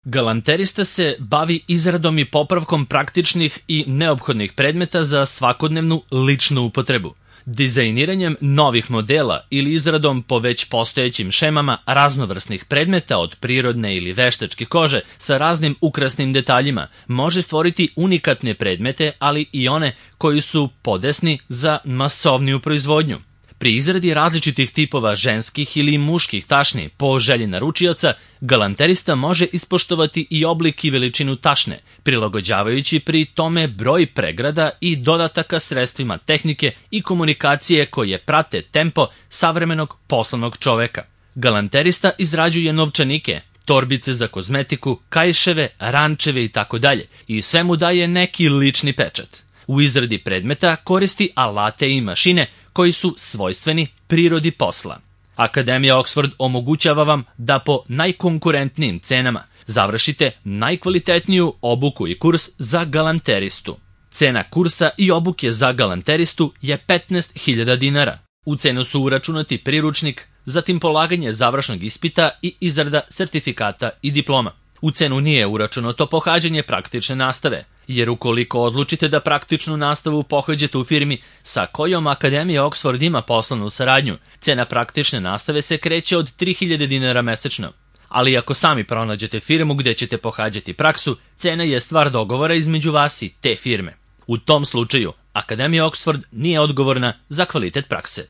Galanterista se bavi izradom i popravkom praktičnih i neophodnih predmeta za svakodnevnu ličnu upotrebu, dizajniranjem novih modela ili izradom po već postojećim šemama raznovrsnih predmeta od prirodne ili veštačke kože sa raznim ukrasnim detaljima može stvoriti unikatne predmete, ali i one koji su podesni za masovniju proizvodnju. Pri izradi različitih tipova ženskih ili muških tašni po želji naručioca, galanterista može ispoštovati i oblik i veličinu tašne, prilagođavajući pri tome broj pregrada i dodataka sredstvima tehnike i komunikacije koje prate tempo savremenog poslovnog čoveka. Galanterista izrađuje novčanike, torbice za kozmetiku, kaiševe, rančeve itd. i sve mu daje neki lični pečat. U izradi predmeta koristi alate i mašine koji su svojstveni prirodi posla. Akademija Oxford omogućava vam da po najkonkurentnijim cenama završite najkvalitetniju obuku i kurs za galanteristu. Cena kursa i obuke za galanteristu je 15.000 dinara. U cenu su uračunati priručnik, zatim polaganje završnog ispita i izrada sertifikata i diploma. U cenu nije uračunato pohađanje praktične nastave, jer ukoliko odlučite da praktičnu nastavu pohađate u firmi sa kojom Akademija Oxford ima poslovnu saradnju, cena praktične nastave se kreće od 3.000 dinara mesečno. Ali ako sami pronađete firmu gde ćete pohađati praksu, cena je stvar dogovora između vas i te firme. U tom slučaju, Akademija Oxford nije odgovorna za kvalitet prakse.